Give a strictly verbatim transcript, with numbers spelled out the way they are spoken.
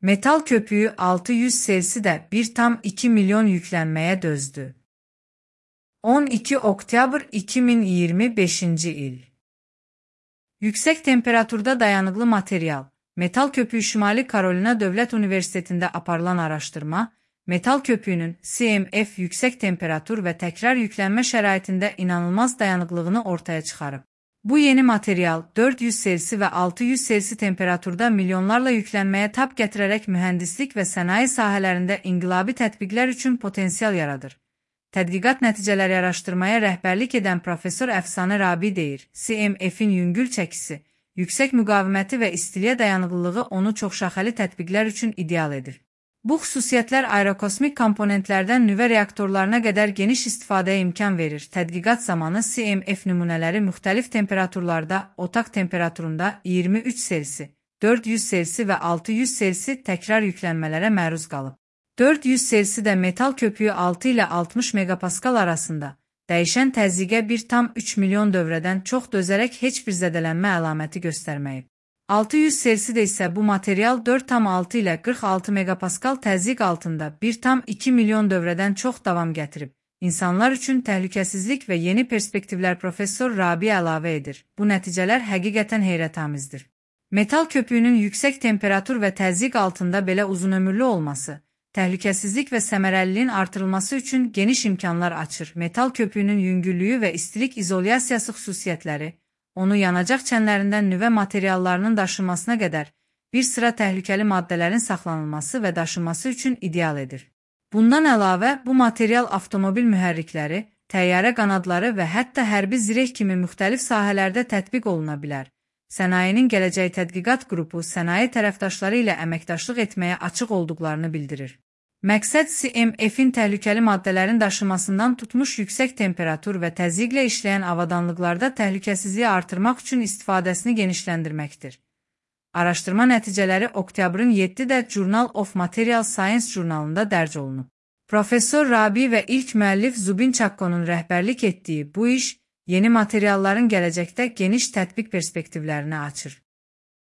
Metal köpüğü altı yüz Celsius'da bir tam iki milyon yüklenmeye dözdü. on iki oktyabr iki min iyirmi beşinci il. Yüksek temperaturda dayanıklı materyal. Metal köpüğü Şimali Carolina Dövlət Universitetində aparılan araşdırma, metal köpüğünün C M F yüksek temperatur ve tekrar yüklenme şəraitində inanılmaz dayanıklılığını ortaya çıxarıb. Bu yeni materyal dörd yüz Celsius ve altı yüz Celsius temperaturda milyonlarla yüklenmeye tab gətirərək mühəndislik ve sənaye sahələrində inqilabi tətbiqlər üçün potensial yaradır. Tədqiqat nəticələri araşdırmaya rəhbərlik edən professor Əfsanə Rabi deyir, C M F'in yüngül çəkisi, yüksək müqaviməti və istiliyə dayanıqlılığı onu çoxşaxəli tətbiqlər üçün ideal edir. Bu xüsusiyyətlər aerokosmik komponentlərdən nüvə reaktorlarına qədər geniş istifadəyə imkan verir. Tədqiqat zamanı C M F nümunələri müxtəlif temperaturlarda, otaq temperaturunda iyirmi üç Celsius, dörd yüz Celsius və altı yüz Celsius təkrar yüklənmələrə məruz qalıb. dörd yüz Celsius'da metal köpüğü altı ilə altmış megapaskal arasında, dəyişən təzyiqə bir tam üç milyon dövrədən çox dözərək heç bir zədələnmə əlaməti göstərməyib. altı yüz Celsius'da isə bu material dörd tam altı ilə qırx altı megapaskal təzyiq altında bir tam iki milyon dövrədən çox davam gətirib. İnsanlar üçün təhlükəsizlik və yeni perspektivlər professor Rabi əlavə edir. Bu nəticələr həqiqətən heyrətamizdir. Metal köpüğünün yüksək temperatur və təzyiq altında belə uzunömürlü olması, təhlükəsizlik və səmərəliliyin artırılması üçün geniş imkanlar açır. Metal köpüğünün yüngüllüyü və istilik izolyasiyası xüsusiyyətləri, onu yanacaq çənlərindən nüvə materiallarının daşınmasına qədər bir sıra təhlükəli maddələrin saxlanılması və daşınması üçün ideal edir. Bundan əlavə, bu material avtomobil mühərrikləri, təyyarə qanadları və hətta hərbi zireh kimi müxtəlif sahələrdə tətbiq oluna bilər. Sənayenin Gələcək Tədqiqat Qrupu sənaye tərəfdaşları ilə əməkdaşlıq etməyə açıq olduqlarını bildirir. Məqsəd C M F'in təhlükəli maddələrin daşımasından tutmuş yüksək temperatur və təzyiqlə işləyən avadanlıqlarda təhlükəsizliyi artırmaq üçün istifadəsini genişləndirməkdir. Araşdırma nəticələri oktyabrın yeddidə Journal of Material Science jurnalında dərc olunub. Professor Rabi və ilk müəllif Zubin Çakkonun rəhbərlik etdiyi bu iş, yeni materialların gələcəkdə geniş tətbiq perspektivlərini açır.